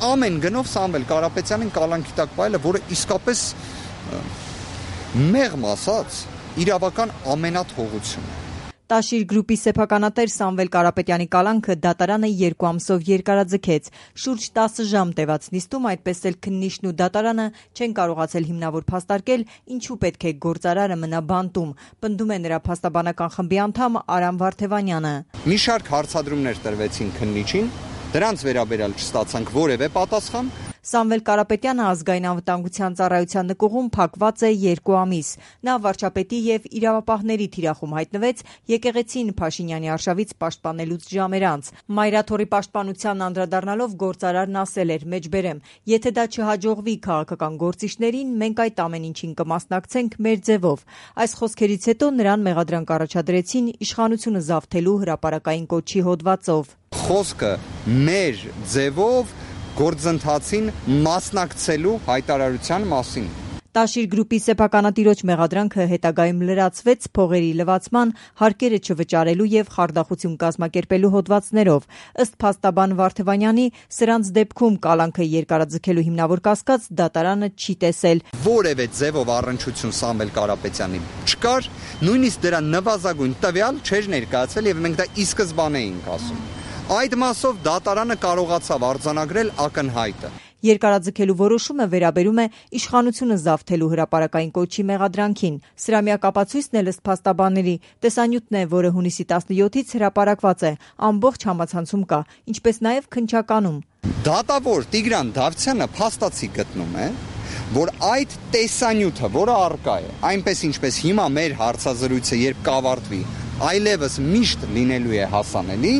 ամեն գնով Սամվել Կարապետյանին կալանքի տակ պահելը, որը իսկապես մեղմ ասած իրավական ամենաթողությունն է։ Տաշիր գրուպի սեփականատեր Սամվել Կարապետյանի կալանքը դատարանը 2 ամսով երկարաձգեց։ Շուրջ 10 ժամ տևած նիստում այդպես էլ քննիչն ու դատարանը չեն կարողացել հիմնավոր փաստարկել, ինչու պետք է գործարարը մնա բանտում, պնդում է նրա փաստաբանական խմբի անդամ Արամ Վարդևանյանը։ Մի շարք հարցադրումներ տրվեցին քննիչին, դրանց վերաբերյալ չստացանք որևէ պատասխան։ Սամվել Կարապետյանը ազգային անվտանգության ծառայության նկուղում փակված է 2 ամիս։ Նա վարչապետի եւ իրավապահների թիրախում հայտնվեց եկեղեցին Փաշինյանի արշավից պաշտպանելուց ժամեր անց։ Մայրաթորի պաշտպանությանն անդրադառնալով գործարարն ասել էր. «Մեջբերեմ, եթե դա չհաջողվի քաղաքական գործիչներին, մենք այդ ամեն ինչին կմասնակցենք մեր ձևով»։ Այս խոսքերից հետո նրան մեղադրանք առաջադրեցին իշխանությունը զավթելու հրապարակային կոչի հոդվածով։ Խոսքը մեր ձևով գործընթացին մասնակցելու հայտարարության մասին։ Տաշիր գրուպի սեփականատիրոջ մեղադրանքը հետագայում լրացվեց փողերի լվացման, հարկերը չվճարելու եւ խարդախություն կազմակերպելու հոդվածներով։ Ըստ փաստաբան Վարդևանյանի, սրանց դեպքում կալանքը երկարաձգելու հիմնավոր կասկած դատարանը չի տեսել։ Որևէ ձևով առնչություն Սամվել Կարապետյանի չկար, նույնիսկ դրա նվազագույն տվյալ չէր ներկայացվել եւ մենք դա ի սկզբանե էինք ասում։ Այդ մասով դատարանը կարողացավ արձանագրել ակնհայտը։ Երկարաձգելու որոշումը վերաբերում է իշխանությունը զավթելու հրապարակային կոչի մեղադրանքին։ Սրա միակ ապացույցն էլ ըստ փաստաբանների տեսանյութն է, որը հունիսի 17-ից հրապարակված է, ամբողջ համացանցում կա, ինչպես նաև քննչականում։ Դատավոր Տիգրան Դավթյանը փաստացի գտնում է, որ այդ տեսանյութը, որը առկա է, այնպես ինչպես հիմա մեր հարցազրույցը երբ կավարտվի, այլևս միշտ լինելու է հասանելի,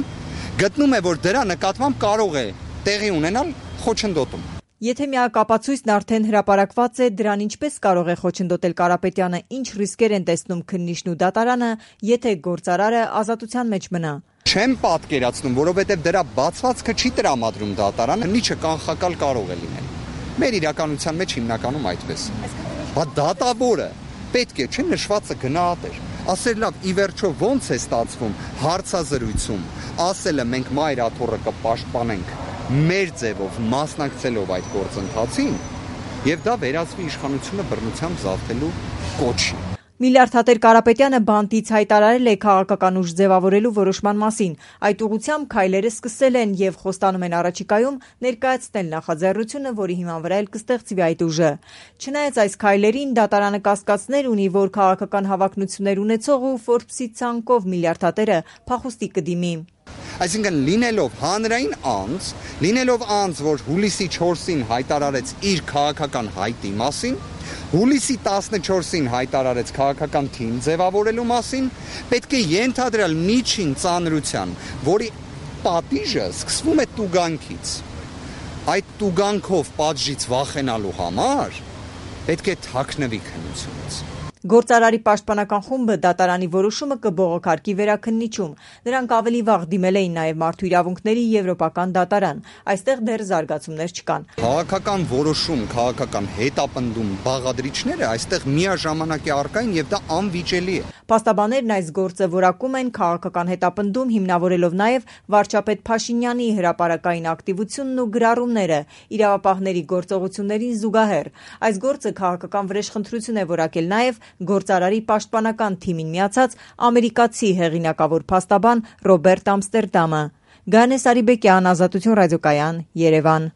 գտնում է, որ դրա նկատմամբ կարող է տեղի ունենալ խոչընդոտում։ Եթե միակ ապացույցն արդեն հրապարակված է, դրան ինչպես կարող է խոչընդոտել Կարապետյանը, ինչ ռիսկեր են տեսնում քննիչն ու դատարանը, եթե գործարարը ազատության մեջ մնա։ Չեմ պատկերացնում, որովհետև դրա բացվածքը չի տրամադրում դատարանը, քննիչը կանխակալ կարող է լինել։ Մեր իրականության մեջ հիմնականում այդպես։ Բա դատավորը պետք է չէ նշվածը գնահատեր։ Ասել լավ, ի վերջո ոնց է ստացվում հարցազրույցում, ասելը մենք մայրաթոռը կպաշտպանենք մեր ձևով մասնակցելով այդ գործընթացին, եւ դա վերածվի իշխանությունը բռնությամբ զավթելու կոչի։ Միլիարդատեր Կարապետյանը բանտից հայտարարել է քաղաքական ուժ ձևավորելու որոշման մասին։ Այդ ուղղությամբ քայլերը սկսել են եւ խոստանում են առաջիկայում ներկայացնել նախաձեռնությունը, որի հիման վրա էլ կստեղծվի այդ ուժը։ Չնայած այս քայլերին, դատարանը կասկածներ ունի, որ քաղաքական հավակնություններ ունեցող ու Forbes-ի ցանկով միլիարդատերը փախուստի կդիմի։ Այսինքն լինելով հանրային անձ, որ հուլիսի 4-ին հայտարարեց իր քաղաքական հայտի մասին, հուլիսի 14-ին հայտարարեց քաղաքական թիմ ձևավորելու մասին, պետք է ենթադրել միջին ծանրության, որի պատիժը սկսվում է տուգանքից։ Այդ տուգանքով պատժից վախենալու համար պետք է թաքնվի քննությունից։ Գործարարի պաշտպանական խումբը դատարանի որոշումը կբողոքարկի վերաքննիչում։ Նրանք ավելի վաղ դիմել էին նաև Մարդու իրավունքների եվրոպական դատարան։ Այստեղ դեռ զարգացումներ չկան։ Քաղաքական որոշում, քաղաքական հետապնդում բաղադրիչները այստեղ միաժամանակ է առկա եւ դա անվիճելի է։ Փաստաբաններն այս գործը որակում են քաղաքական հետապնդում, հիմնավորելով նաև վարչապետ Փաշինյանի հրապարակային ակտիվությունն ու գրառումները իրավապահների գործողություններին զուգահեռ։ Այս գործը քաղաքական վրեժխնդրություն է որակել նաև գործարարի պաշտպանական թիմին միացած ամերիկացի հեղինակավոր փաստաբան Ռոբերտ Ամստերդամը։ Գանես Արիբեկյան, Ազատություն ռադիոկայան, Երևան։